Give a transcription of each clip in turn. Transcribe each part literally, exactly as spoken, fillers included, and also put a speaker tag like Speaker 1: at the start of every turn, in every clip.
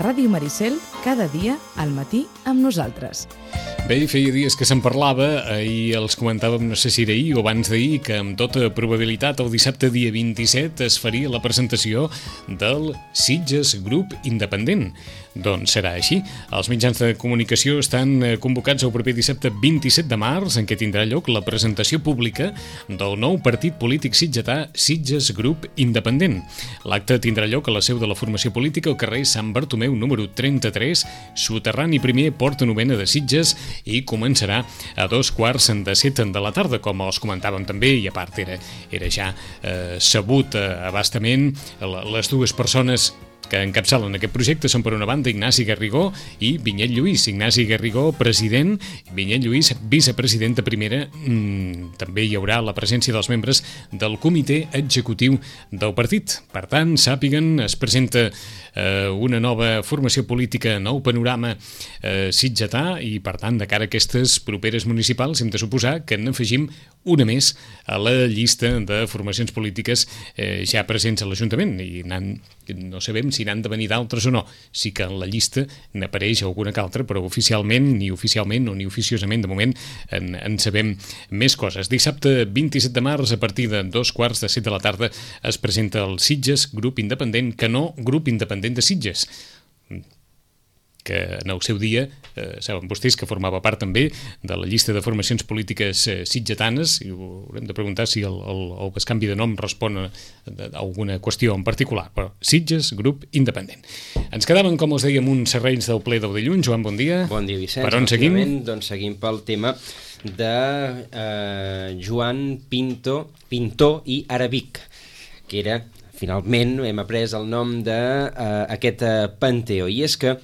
Speaker 1: Ràdio Maricel, cada dia al matí amb nosaltres.
Speaker 2: Bé, feia dies que se'n parlava, ahir els comentàvem, no sé si era ahir o abans d'ahir, que amb tota probabilitat el dissabte dia vint-i-set es faria la presentació del Sitges Grup Independent. Doncs serà així. Els mitjans de comunicació estan convocats el proper dissabte vint-i-set de març, en què tindrà lloc la presentació pública del nou partit polític sitgetà Sitges Grup Independent. L'acte tindrà lloc a la seu de la formació política al carrer Sant Bartomeu número trenta-tres, soterrani primer, porta novena de Sitges, i començarà a dos quarts de set de la tarda, com els comentàvem també, i a part era, era ja eh, sabut eh, abastament. Les dues persones que encapçalen aquest projecte són, per una banda, Ignasi Garrigó i Vinyet Lluís. Ignasi Garrigó, president, Vinyet Lluís, vicepresident de primera. Mm, també hi haurà la presència dels membres del comitè executiu del partit. Per tant, sàpiguen, es presenta eh, una nova formació política, nou panorama eh, sitgetà, i, per tant, de cara a aquestes properes municipals, hem de suposar que n'afegim una més a la llista de formacions polítiques eh, ja presents a l'Ajuntament, i no sabem si n'han de venir d'altres o no. Sí que en la llista n'apareix alguna que altra, però oficialment, ni oficialment o ni oficiosament, de moment, en, en sabem més coses. Dissabte vint-i-set de març, a partir de dos quarts de set de la tarda, es presenta el Sitges Grup Independent, que no Grup Independent de Sitges, que en el seu dia, eh, saben vostès que formava part també de la llista de formacions polítiques eh, sitgetanes, i haurem de preguntar si el, el, el bescanvi de nom respon a, a alguna qüestió en particular, però Sitges Grup Independent. Ens quedàvem, com us dèiem, uns serrells del ple del dilluns. Joan, bon dia.
Speaker 3: Bon dia, Vicenç.
Speaker 2: Per on seguim?
Speaker 3: Doncs seguim pel tema de eh, Joan Pinto, Pintor i Arabic, que era, finalment, hem après el nom d'aquest eh, eh, panteó, i és que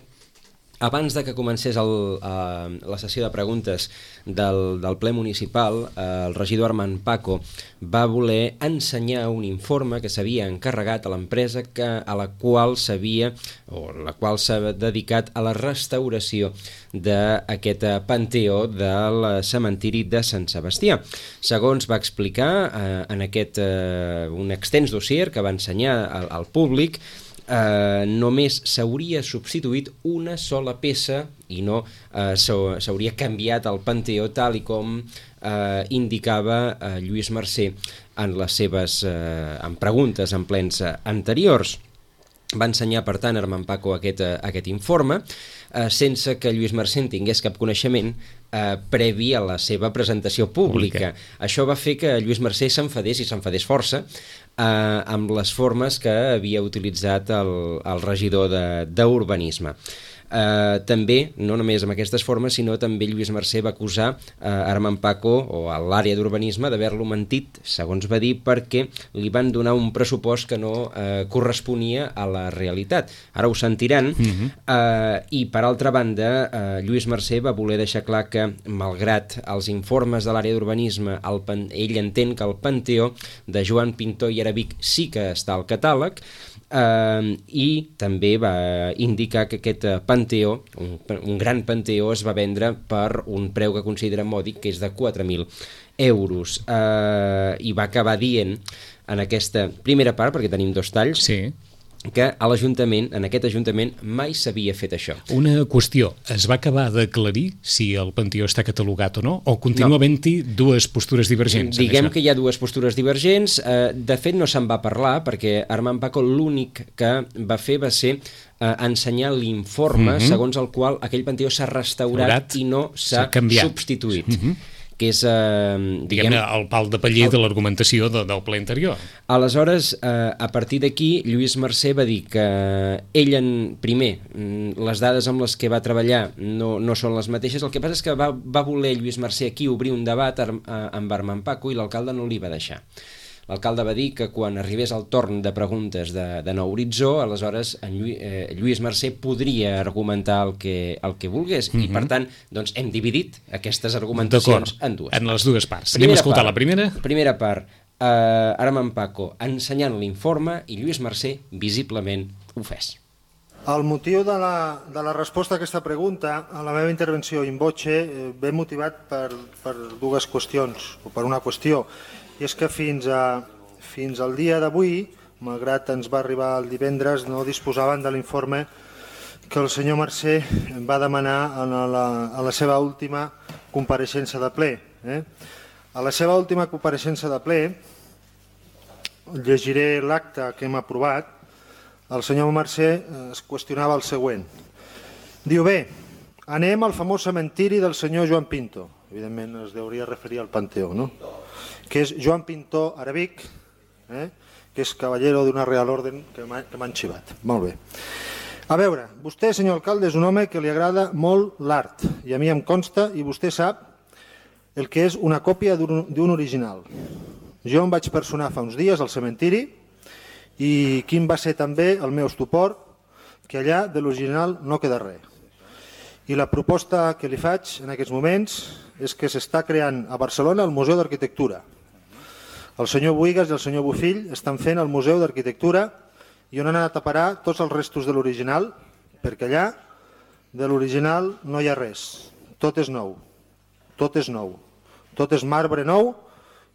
Speaker 3: abans de que comencés el, uh, la sessió de preguntes del, del ple municipal, uh, el regidor Armand Paco va voler ensenyar un informe que s'havia encarregat a l'empresa que, a la qual s'havia o la qual s'ha dedicat a la restauració d'aquest panteó del cementiri de Sant Sebastià. Segons va explicar uh, en aquest uh, un extens dossier que va ensenyar al, al públic, Uh, només s'hauria substituït una sola peça i no uh, s'hauria canviat el panteó tal i com uh, indicava uh, Lluís Mercè en les seves uh, en preguntes en plens uh, anteriors. Va ensenyar, per tant, Armand Paco aquest, uh, aquest informe uh, sense que Lluís Mercè en tingués cap coneixement uh, previ a la seva presentació pública. pública. Això va fer que Lluís Mercè s'enfadés i s'enfadés força uh, amb les formes que havia utilitzat el, el regidor d'Urbanisme. Uh, també, no només amb aquestes formes, sinó també Lluís Mercè va acusar uh, Armand Paco o a l'àrea d'urbanisme d'haver-lo mentit, segons va dir, perquè li van donar un pressupost que no uh, corresponia a la realitat. Ara ho sentiran. Uh-huh. uh, i per altra banda, uh, Lluís Mercè va voler deixar clar que, malgrat els informes de l'àrea d'urbanisme, el pan... ell entén que el panteó de Joan Pintor i Arabic sí que està al catàleg, Uh, i també va indicar que aquest panteó, un, un gran panteó, es va vendre per un preu que considera mòdic, que és de quatre mil euros. Uh, I va acabar dient en aquesta primera part, perquè tenim dos talls,
Speaker 2: sí,
Speaker 3: que a l'Ajuntament, en aquest Ajuntament, mai s'havia fet això.
Speaker 2: Una qüestió, es va acabar d'aclarir si el panteó està catalogat o no, o continua no. havent-hi dues postures divergents?
Speaker 3: Diguem que hi ha dues postures divergents. Eh, de fet, no se'n va parlar, perquè Armand Paco l'únic que va fer va ser eh, ensenyar l'informe mm-hmm. segons el qual aquell panteó s'ha restaurat Restaurat, i no s'ha substituït. Mm-hmm. que és... Eh,
Speaker 2: diguem, el pal de paller el... de l'argumentació de, del ple anterior.
Speaker 3: Aleshores, eh, a partir d'aquí, Lluís Mercè va dir que ell, en, primer, les dades amb les que va treballar no, no són les mateixes. El que passa és que va, va voler Lluís Mercè aquí obrir un debat amb Armand Paco i l'alcalde no li va deixar. L'alcalde va dir que quan arribés el torn de preguntes de, de Nou Horitzó, aleshores en Lluís, eh, Lluís Mercè podria argumentar el que, el que volgués. Mm-hmm. I per tant, doncs, hem dividit aquestes argumentacions en dues.
Speaker 2: En les dues parts. Primera Anem a escoltar part, la primera.
Speaker 3: Primera part, eh, Armand Paco ensenyant l'informe i Lluís Mercè visiblement ofès.
Speaker 4: El motiu de la, de la resposta a aquesta pregunta, a la meva intervenció in voce, eh, ve motivat per, per dues qüestions, o per una qüestió. I és que fins, a, fins al dia d'avui, malgrat ens va arribar el divendres, no disposaven de l'informe que el senyor Mercè va demanar en la, a la seva última compareixença de ple. Eh? A la seva última compareixença de ple, llegiré l'acte que hem aprovat, el senyor Mercè es qüestionava el següent. Diu, bé, anem al famós cementiri del senyor Joan Pinto. Evidentment es hauria de referir al Panteó, no? Que és Joan Pinto Arabic, eh? que és cavallero d'una Real Orden que m'han xivat. Molt bé. A veure, vostè, senyor alcalde, és un home que li agrada molt l'art, i a mi em consta, i vostè sap el que és una còpia d'un original. Jo em vaig personar fa uns dies al cementiri i quin va ser també el meu estupor, que allà de l'original no queda res. I la proposta que li faig en aquests moments és que s'està creant a Barcelona el Museu d'Arquitectura. El senyor Buigas i el senyor Bofill estan fent el Museu d'Arquitectura i on han anat a parar tots els restos de l'original, perquè allà de l'original no hi ha res. Tot és nou. Tot és nou. Tot és marbre nou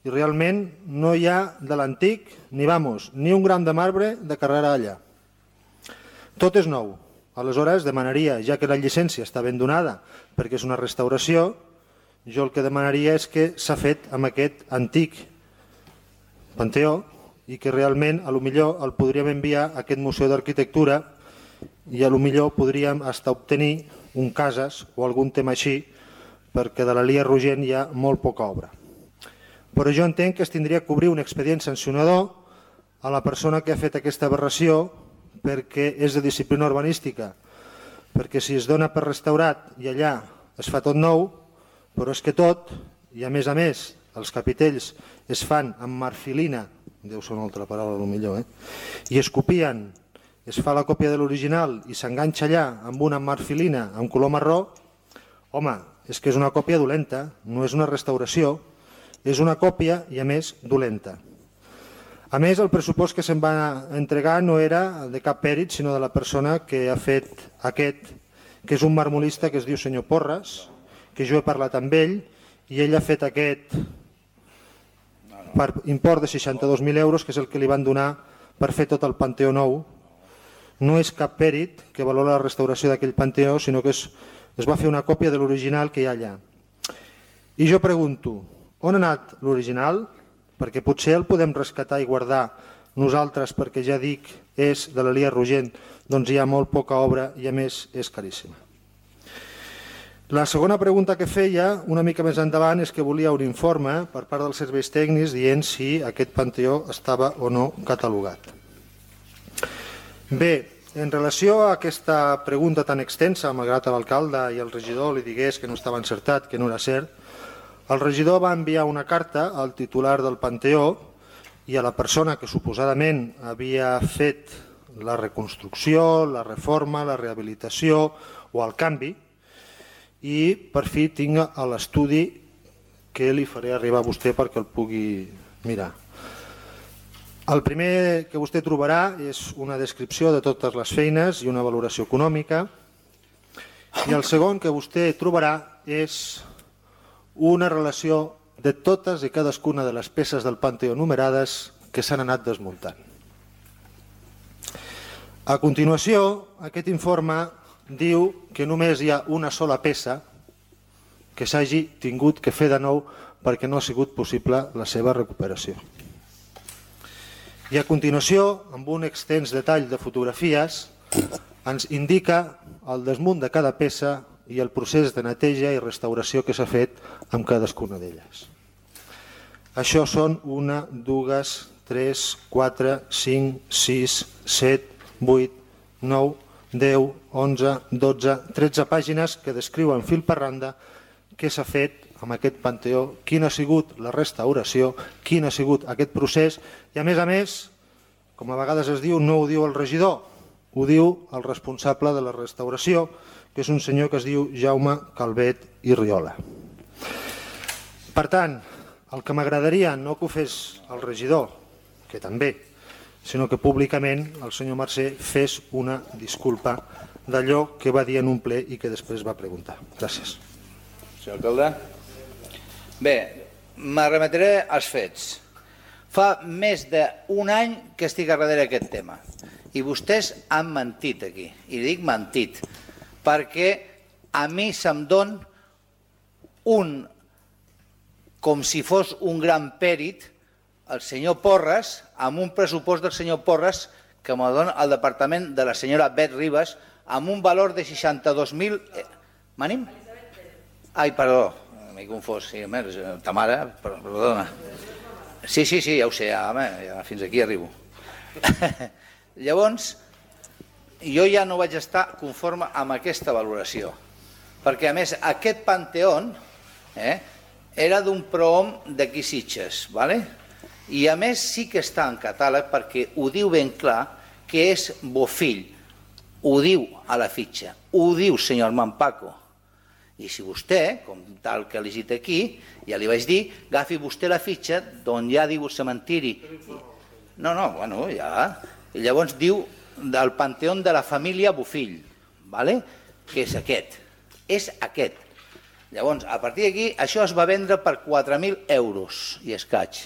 Speaker 4: i realment no hi ha de l'antic ni, vamos, ni un gram de marbre de carrera allà. Tot és nou. Aleshores demanaria, ja que la llicència està ben donada perquè és una restauració, jo el que demanaria és que s'ha fet amb aquest antic Panteó i que realment a lo millor el podríem enviar a aquest Museu d'Arquitectura i a lo millor podríem hasta obtenir un cases o algun tema així perquè de la Lia Rogent hi ha molt poca obra. Però jo entenc que es tindria que obrir un expedient sancionador a la persona que ha fet aquesta aberració perquè és de disciplina urbanística, perquè si es dona per restaurat i allà es fa tot nou, però és que tot, i a més a més els capitells es fan amb marfilina, deu ser una altra paraula potser, eh? i es copien, es fa la còpia de l'original i s'enganxa allà amb una marfilina amb color marró, home, és que és una còpia dolenta, no és una restauració, és una còpia i a més dolenta. A més, el pressupost que se'n va entregar no era de cap pèrit, sinó de la persona que ha fet aquest, que és un marmolista que es diu senyor Porres, que jo he parlat amb ell, i ell ha fet aquest per import de seixanta-dos mil euros, que és el que li van donar per fer tot el Panteó nou. No és cap pèrit que valora la restauració d'aquell Panteó, sinó que es, es va fer una còpia de l'original que hi ha allà. I jo pregunto, on ha anat l'original? Perquè potser el podem rescatar i guardar nosaltres, perquè ja dic, és de la Lia Rogent, doncs hi ha molt poca obra i a més és caríssima. La segona pregunta que feia, una mica més endavant, és que volia un informe per part dels serveis tècnics dient si aquest Panteó estava o no catalogat. Bé, en relació a aquesta pregunta tan extensa, malgrat l'alcalde i el regidor li digués que no estava encertat, que no era cert, el regidor va enviar una carta al titular del Panteó i a la persona que suposadament havia fet la reconstrucció, la reforma, la rehabilitació o el canvi, i per fi tinc l'estudi que li faré arribar a vostè perquè el pugui mirar. El primer que vostè trobarà és una descripció de totes les feines i una valoració econòmica, i el segon que vostè trobarà és una relació de totes i cadascuna de les peces del Panteó numerades que s'han anat desmuntant. A continuació, aquest informe diu que només hi ha una sola peça que s'hagi tingut que fer de nou perquè no ha sigut possible la seva recuperació. I a continuació, amb un extens detall de fotografies, ens indica el desmunt de cada peça i el procés de neteja i restauració que s'ha fet amb cadascuna d'elles. Això són una, dues, tres, quatre, cinc, sis, set, vuit, nou, deu, onze, dotze, tretze pàgines que descriuen fil per randa què s'ha fet amb aquest Panteó, quina ha sigut la restauració, quin ha sigut aquest procés i a més a més, com a vegades es diu, no ho diu el regidor, ho diu el responsable de la restauració, que és un senyor que es diu Jaume Calvet i Riola. Per tant, el que m'agradaria no que ho fes el regidor, que també, sinó que públicament el senyor Mercè fes una disculpa d'allò que va dir en un ple i que després va preguntar. Gràcies.
Speaker 5: Senyor alcalde. Bé, m'arremetré als fets. Fa més d'un any que estic a darrere d'aquest tema I vostès han mentit aquí, i dic mentit, perquè a mi se'm don un, com si fos un gran pèrit, el senyor Porres, amb un pressupost del senyor Porres que me dona el departament de la senyora Bet Ribas, amb un valor de seixanta-dos mil... M'anim? Ai, perdó, m'he confós, sí, ta mare, perdona. Sí, sí, sí, ja ho sé, ja, home, ja fins aquí arribo. Llavors, jo ja no vaig estar conforme amb aquesta valoració, perquè a més aquest Panteón eh, era d'un prohom d'aquí Sitges, ¿vale? I a més sí que està en catàleg perquè ho diu ben clar que és Bofill, ho diu a la fitxa, ho diu senyor Armand Paco. I si vostè, com tal que ha llegit aquí, ja li vaig dir, agafi vostè la fitxa d'on ja diu cementiri. No, no, bueno, ja... I llavors diu del Panteón de la família Bofill, ¿vale? Que és aquest, és aquest. Llavors, a partir d'aquí, això es va vendre per quatre mil euros i escaig.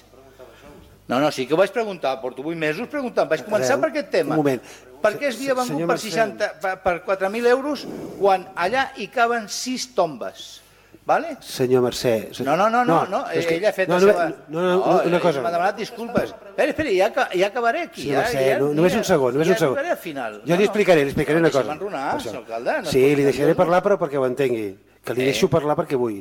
Speaker 5: No, no, sí que ho vaig preguntar, porto vuit mesos preguntant, vaig començar per aquest tema.
Speaker 6: Un moment.
Speaker 5: Per què es havia vengut per, seixanta, per quatre mil euros quan allà hi caben sis tombes? Vale?
Speaker 6: Senyor Mercè...
Speaker 5: No, no, no, no, no.
Speaker 6: Que...
Speaker 5: ella ha fet
Speaker 6: no,
Speaker 5: la
Speaker 6: no,
Speaker 5: seva...
Speaker 6: No, no, no, una cosa...
Speaker 5: M'ha demanat disculpes. Espera, espera, ja, ja acabaré aquí.
Speaker 6: Senyor Mercè,
Speaker 5: ja, ja,
Speaker 6: no, només un segon, només
Speaker 5: ja
Speaker 6: un segon.
Speaker 5: Ja al final.
Speaker 6: Jo no, li explicaré, li explicaré
Speaker 5: no,
Speaker 6: una cosa.
Speaker 5: No, enronar, senyor alcalde. No
Speaker 6: sí, li deixaré parlar, però perquè ho entengui. Que li deixo parlar perquè vull.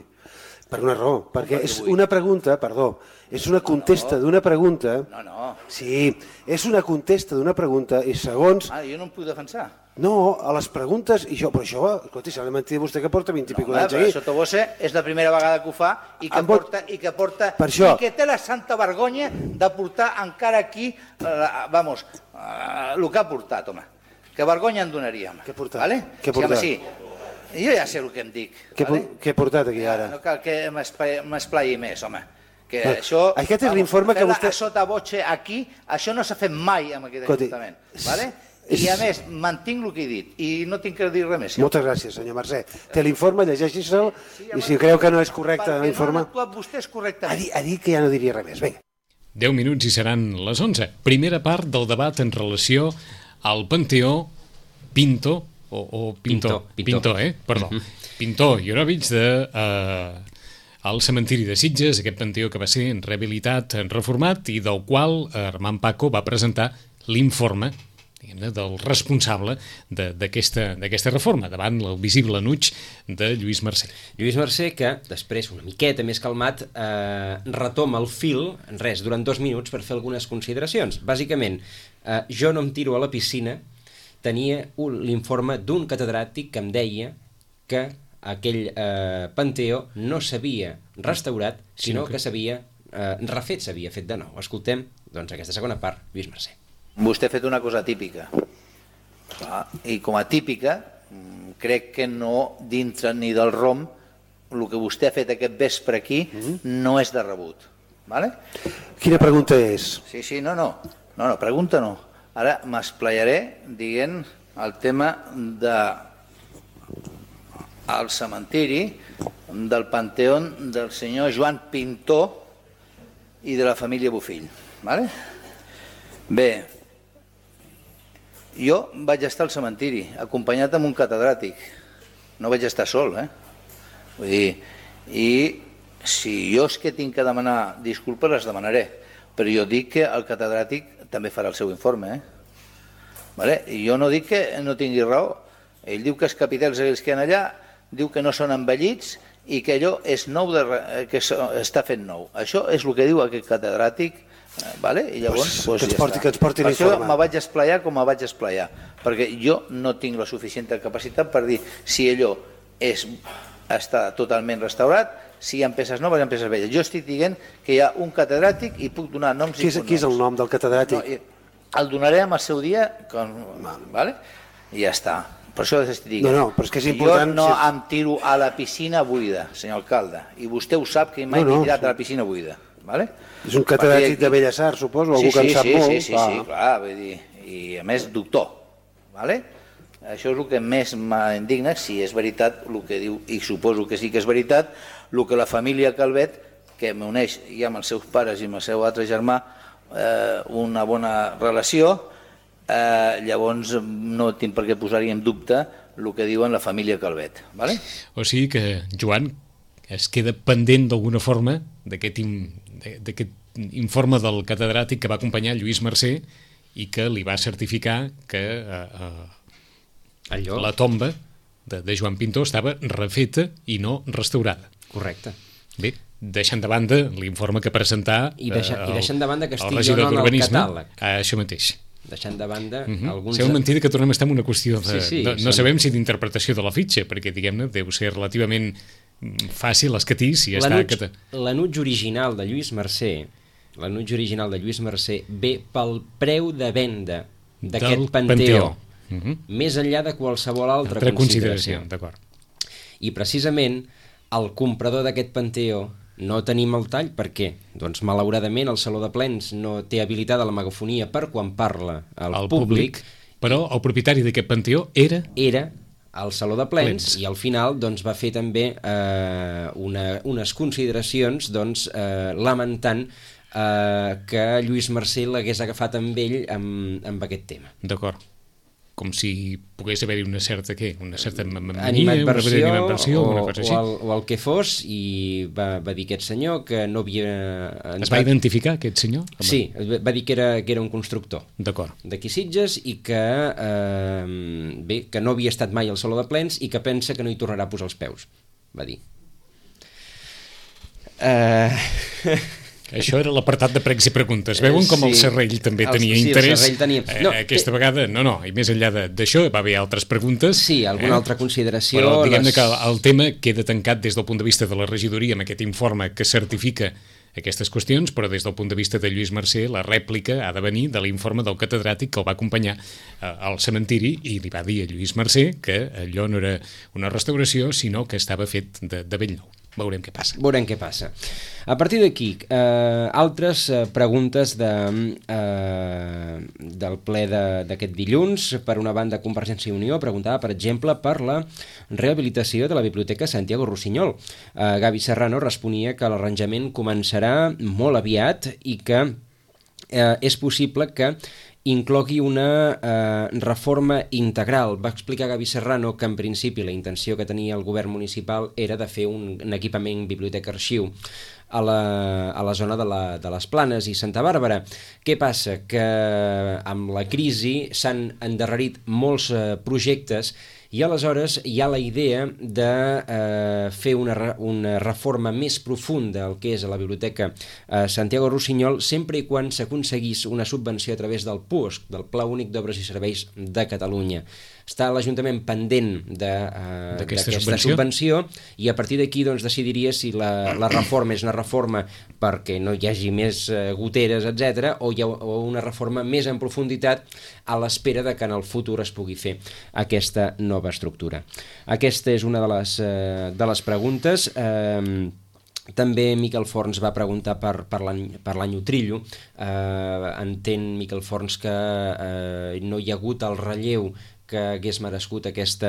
Speaker 6: Per una raó, perquè és una pregunta, perdó, és una contesta d'una pregunta...
Speaker 5: No, no.
Speaker 6: Sí, és una contesta d'una pregunta i segons...
Speaker 5: Ah, jo no em puc defensar.
Speaker 6: No, a les preguntes, i jo, però això, escolti, s'ha de mentir vostè que porta vint i pico d'anys
Speaker 5: aquí.
Speaker 6: aquí.
Speaker 5: Sota Bosse és la primera vegada que ho fa i que porta, i que porta, i que té la santa vergonya de portar encara aquí, vamos, el que ha portat, home. Que vergonya en donaríem.
Speaker 6: Què ha portat?
Speaker 5: Vale?
Speaker 6: Què ha portat?
Speaker 5: Sí, jo ja sé el que em dic.
Speaker 6: Què he portat aquí ara?
Speaker 5: No cal que m'esplai més, home. Que això,
Speaker 6: aquest és l'informe que vostè...
Speaker 5: A sota Bosse aquí, això no s'ha fet mai amb aquest ajuntament. Vale? I a més, mantinc el que he dit i no tinc que dir res més.
Speaker 6: Moltes gràcies, senyor Mercè. Té l'informe, llegeixi-se'l i si creu que no és correcte l'informe...
Speaker 5: Perquè no han actuat vostès correctament.
Speaker 6: Ha dit que ja no diria res més. Vinga.
Speaker 2: deu minuts i seran les onze. Primera part del debat en relació al Panteó Pinto, o, o Pinto,
Speaker 3: Pinto, Pinto.
Speaker 2: Pinto, eh? Perdó. Pinto Jorovic de... Eh, al cementiri de Sitges, aquest panteó que va ser rehabilitat, reformat i del qual Armand Paco va presentar l'informe del responsable d'aquesta reforma, davant el visible enuig de Lluís Mercè.
Speaker 3: Lluís Mercè, que després, una miqueta més calmat, eh, retoma el fil, en res, durant dos minuts per fer algunes consideracions. Bàsicament, eh, jo no em tiro a la piscina, tenia l'informe d'un catedràtic que em deia que aquell eh, panteó no s'havia restaurat, sinó que s'havia eh, refet, s'havia fet de nou. Escoltem, doncs, aquesta segona part, Lluís Mercè.
Speaker 5: Vostè ha fet una cosa típica. I com a típica, crec que no dintre ni del rom, el que vostè ha fet aquest vespre aquí no és de rebut. Vale?
Speaker 6: Quina pregunta és?
Speaker 5: Sí, sí, no, no. No, no, pregunta no. Ara m'esplayaré dient el tema de al cementiri del Panteón del senyor Joan Pintó i de la família Bofill. Vale? Bé, jo vaig estar al cementiri acompanyat amb un catedràtic. No vaig estar sol, eh? Vull dir, i si jo és que tinc que demanar disculpes, les demanaré, però jo dic que el catedràtic també farà el seu informe, eh? Vale? I jo no dic que no tingui raó. Ell diu que els capitells aquells que hi ha allà diu que no són envellits i que allò és nou de, que està fet nou. Això és el que diu aquest catedràtic, vale? I llavors
Speaker 6: pues,
Speaker 5: pues,
Speaker 6: que ens
Speaker 5: ja
Speaker 6: porti,
Speaker 5: està.
Speaker 6: Que ens porti
Speaker 5: per això
Speaker 6: l'informe.
Speaker 5: me vaig esplayar com me vaig esplayar, perquè jo no tinc la suficient capacitat per dir si allò és, està totalment restaurat, si hi ha peces noves, hi ha peces velles. Jo estic dient que hi ha un catedràtic i puc donar noms
Speaker 6: qui és,
Speaker 5: i cognoms.
Speaker 6: Qui és el nom del catedràtic?
Speaker 5: No, el donaré amb el seu dia, com, vale? I ja està. Per això estic dient.
Speaker 6: No, no, però és que és important...
Speaker 5: Jo no em tiro a la piscina buida, senyor alcalde, i vostè ho sap que mai
Speaker 6: no, no,
Speaker 5: m'he tirat
Speaker 6: sí.
Speaker 5: a la piscina buida. Vale?
Speaker 6: És un catedràtic de Belles Arts, suposo, algú
Speaker 5: sí,
Speaker 6: que en
Speaker 5: sí,
Speaker 6: sap
Speaker 5: sí,
Speaker 6: molt.
Speaker 5: Sí, sí,
Speaker 6: ah.
Speaker 5: sí, clar, vull dir, i a més doctor. Vale? Això és el que més m'indigna, si és veritat el que diu, i suposo que sí que és veritat, el que la família Calvet, que m'uneix ja amb els seus pares i amb el seu altre germà, eh, una bona relació, eh, llavors no tinc per què posar-hi en dubte el que diuen la família Calvet. Vale?
Speaker 2: O sigui que, Joan, es queda pendent d'alguna forma d'aquest informe del catedràtic que va acompanyar Lluís Mercè i que li va certificar que eh, eh,
Speaker 3: Allò?
Speaker 2: la tomba de, de Joan Pintó estava refeta i no restaurada.
Speaker 3: Correcte.
Speaker 2: Bé, deixant de banda l'informe que presentà
Speaker 3: I, deixa,
Speaker 2: eh,
Speaker 3: i deixant de banda que
Speaker 2: el
Speaker 3: estigui
Speaker 2: regidor
Speaker 3: o no en el
Speaker 2: d'Urbanisme,
Speaker 3: catàleg.
Speaker 2: eh, això mateix.
Speaker 3: Deixant de banda
Speaker 2: Uh -huh.
Speaker 3: alguns...
Speaker 2: Sembla mentida que tornem a estar en una qüestió de...
Speaker 3: Sí, sí,
Speaker 2: no, no
Speaker 3: som-
Speaker 2: sabem si d'interpretació de la fitxa, perquè, diguem-ne, deu ser relativament mm, fàcil, escatís, i està...
Speaker 3: L'anuig
Speaker 2: Que...
Speaker 3: l'anuig original de Lluís Mercè, l'anuig original de Lluís Mercè ve pel preu de venda d'aquest
Speaker 2: Del
Speaker 3: panteó,
Speaker 2: panteó. Uh -huh.
Speaker 3: més enllà de qualsevol altra,
Speaker 2: Altra
Speaker 3: consideració.
Speaker 2: consideració, d'acord.
Speaker 3: I precisament el comprador d'aquest panteó no tenim el tall, per què? Doncs malauradament el Saló de Plens no té habilitada la megafonia per quan parla al
Speaker 2: El
Speaker 3: públic,
Speaker 2: però el propietari d'aquest panteó era...
Speaker 3: era al Saló de Plens,
Speaker 2: Plens.
Speaker 3: i al final doncs, va fer també eh, una, unes consideracions doncs, eh, lamentant eh, que Lluís Mercè l'hagués agafat amb ell amb, amb aquest tema.
Speaker 2: D'acord. Com si pogués haver-hi una certa, què? Una certa mania,
Speaker 3: Animadversió
Speaker 2: una animadversió,
Speaker 3: o,
Speaker 2: una cosa així.
Speaker 3: o, el, o el que fos, i va, va dir aquest senyor que no havia...
Speaker 2: Es va identificar, aquest senyor?
Speaker 3: Sí, va dir que era, que era un constructor
Speaker 2: D'acord.
Speaker 3: d'aquí Sitges i que, eh, bé, que no havia estat mai al Saló de Plens i que pensa que no hi tornarà a posar els peus, va dir. Eh...
Speaker 2: Això era l'apartat de pregs i preguntes. Veuen com el
Speaker 3: Sí.
Speaker 2: Serrell també
Speaker 3: El-
Speaker 2: tenia
Speaker 3: sí, el
Speaker 2: interès?
Speaker 3: Serrell tenia- No,
Speaker 2: eh, aquesta
Speaker 3: té-
Speaker 2: vegada, no, no, i més enllà de- d'això va haver altres preguntes.
Speaker 3: Sí, alguna altra consideració,
Speaker 2: Però diguem-ne
Speaker 3: les-
Speaker 2: que el tema queda tancat des del punt de vista de la regidoria amb aquest informe que certifica aquestes qüestions, però des del punt de vista de Lluís Mercè la rèplica ha de venir de l'informe del catedràtic que el va acompanyar eh, al cementiri i li va dir a Lluís Mercè que allò no era una restauració, sinó que estava fet de, de bell nou. Veurem què passa.
Speaker 3: Veurem què passa. A partir d'aquí, eh, altres eh, preguntes de, eh, del ple de- d'aquest dilluns. Per una banda, Convergència i Unió preguntava, per exemple, per la rehabilitació de la Biblioteca Santiago Rossinyol. Eh, Gavi Serrano responia que l'arranjament començarà molt aviat i que eh, és possible que inclogui una eh, reforma integral. Va explicar Gavi Serrano que en principi la intenció que tenia el govern municipal era de fer un, un equipament biblioteca-arxiu a la, a la zona de, la, de les Planes i Santa Bàrbara. Què passa? Que amb la crisi s'han endarrerit molts eh, projectes i aleshores hi ha la idea de eh, fer una, re, una reforma més profunda del que és a la Biblioteca eh, Santiago Rossinyol, sempre i quan s'aconseguís una subvenció a través del P U S C, del Pla Únic d'Obres i Serveis de Catalunya. Està l'Ajuntament pendent d'aquesta
Speaker 2: D'aquesta subvenció.
Speaker 3: subvenció i a partir d'aquí doncs, decidiria si la, la reforma és una reforma perquè no hi hagi més eh, goteres, etcètera, o, hi ha, o una reforma més en profunditat a l'espera de que en el futur es pugui fer aquesta nova estructura. Aquesta és una de les, eh, de les preguntes. Eh, També Miquel Forns va preguntar per, per l'any Utrillo. Eh, entén Miquel Forns que eh, no hi ha hagut el relleu que hagués merescut aquesta,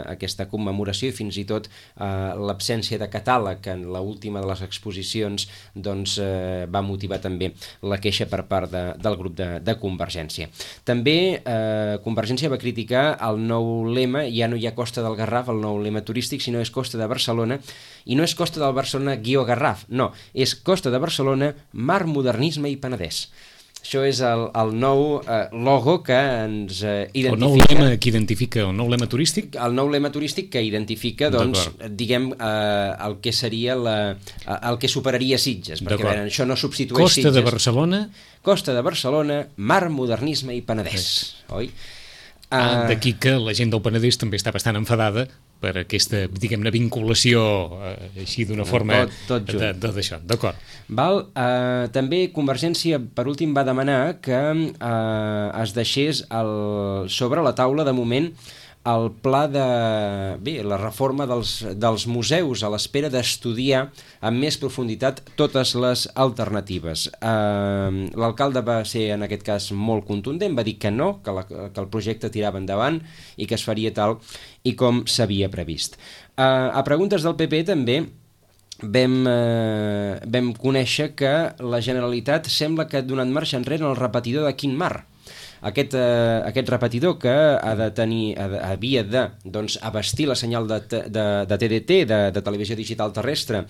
Speaker 3: aquesta commemoració i fins i tot eh, l'absència de catàleg en l'última de les exposicions doncs, eh, va motivar també la queixa per part de, del grup de, de Convergència. També eh, Convergència va criticar el nou lema, ja no hi ha Costa del Garraf, el nou lema turístic, sinó és Costa de Barcelona, i no és Costa del Barcelona guió Garraf, no, és Costa de Barcelona, Mar, Modernisme i Penedès. Això és el, el nou eh, logo que ens eh, identifica...
Speaker 2: El nou lema que identifica, el nou lema turístic?
Speaker 3: El nou lema turístic que identifica, doncs, diguem, eh, el que seria la, el que superaria Sitges, perquè veure, això no substitueix
Speaker 2: Costa
Speaker 3: Sitges.
Speaker 2: de Barcelona...
Speaker 3: Costa de Barcelona, Mar, Modernisme i Penedès, oi?
Speaker 2: Ah, D'aquí que la gent del Penedès també està bastant enfadada per aquesta, diguem-ne, vinculació eh, així d'una forma
Speaker 3: tot, tot
Speaker 2: d'això, d'acord.
Speaker 3: Val, eh, també Convergència per últim va demanar que eh, es deixés el, sobre la taula de moment el pla de... bé, la reforma dels, dels museus a l'espera d'estudiar amb més profunditat totes les alternatives. Eh, L'alcalde va ser en aquest cas molt contundent, va dir que no, que, la, que el projecte tirava endavant i que es faria tal i com s'havia previst. Eh, a preguntes del P P també vam, eh, vam conèixer que la Generalitat sembla que ha donat marxa enrere en el repetidor de Quint Mar. aquest, eh, aquest repetidor que ha de tenir, ha de, havia de doncs, abastir la senyal de, de, de T D T, de, de televisió digital terrestre,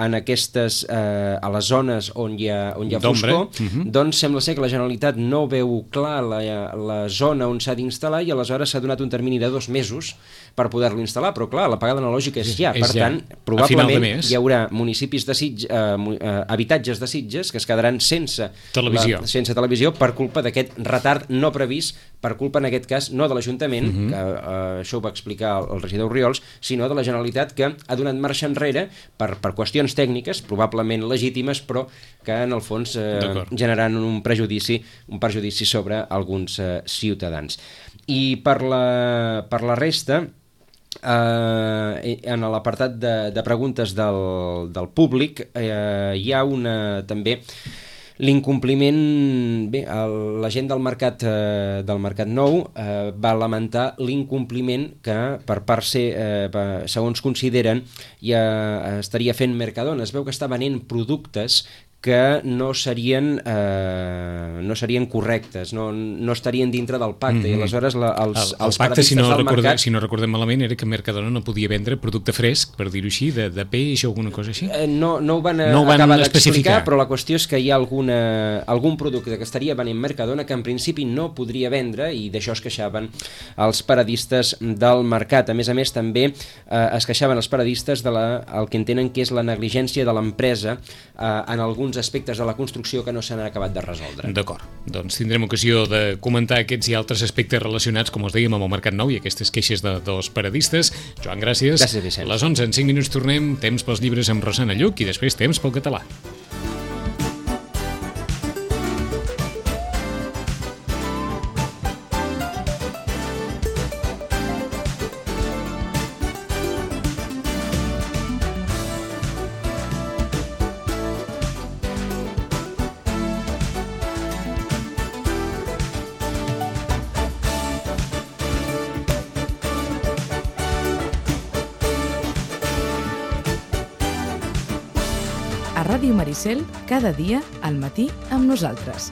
Speaker 3: en aquestes, eh, a les zones on hi ha, on hi ha foscor, uh-huh. doncs sembla ser que la Generalitat no veu clar la, la zona on s'ha d'instal·lar i aleshores s'ha donat un termini de dos mesos per poder-lo instal·lar, però clar, l'apagada analògica és ja, és per ja. tant, probablement hi haurà municipis de Sitges, eh, eh, habitatges de Sitges que es quedaran sense televisió, la, sense televisió per culpa d'aquest retard no previst, per culpa en aquest cas no de l'Ajuntament, uh-huh. que eh, això ho va explicar el, el regidor Oriols, sinó de la Generalitat, que ha donat marxa enrere per, per qüestions tècniques, probablement legítimes, però que en el fons eh, generaran un prejudici, un perjudici sobre alguns eh, ciutadans. I per la, per la resta, eh, en l'apartat de, de preguntes del, del públic, eh, hi ha una també l'incompliment. Bé, el, la gent del mercat, eh, del mercat nou eh, va lamentar l'incompliment que per part ser, eh, segons consideren, ja estaria fent Mercadona. Es veu que està venent productes que no serien, eh, no serien correctes, no, no estarien dintre del pacte, mm-hmm. i aleshores la, els, el, el
Speaker 2: els pacte, si no, recordem, mercat... si no recordem malament, era que Mercadona no podia vendre producte fresc, per dir-ho així, de, de peix o alguna cosa així?
Speaker 3: Eh, no, no ho van, no ho van acabar d'explicar, però la qüestió és que hi ha alguna, algun producte que estaria venent Mercadona que en principi no podria vendre, i d'això es queixaven els paradistes del mercat. A més a més, també eh, es queixaven els paradistes de la, el que entenen que és la negligència de l'empresa eh, en alguns aspectes de la construcció que no s'han acabat de resoldre.
Speaker 2: D'acord, doncs tindrem ocasió de comentar aquests i altres aspectes relacionats, com us dèiem, amb el Mercat Nou i aquestes queixes de dos paradistes. Joan, gràcies.
Speaker 3: Gràcies, Vicenç.
Speaker 2: A les onze en cinc minuts tornem, temps pels llibres amb Rosana Lluc i després temps pel català.
Speaker 1: A Ràdio Maricel, cada dia al matí amb nosaltres.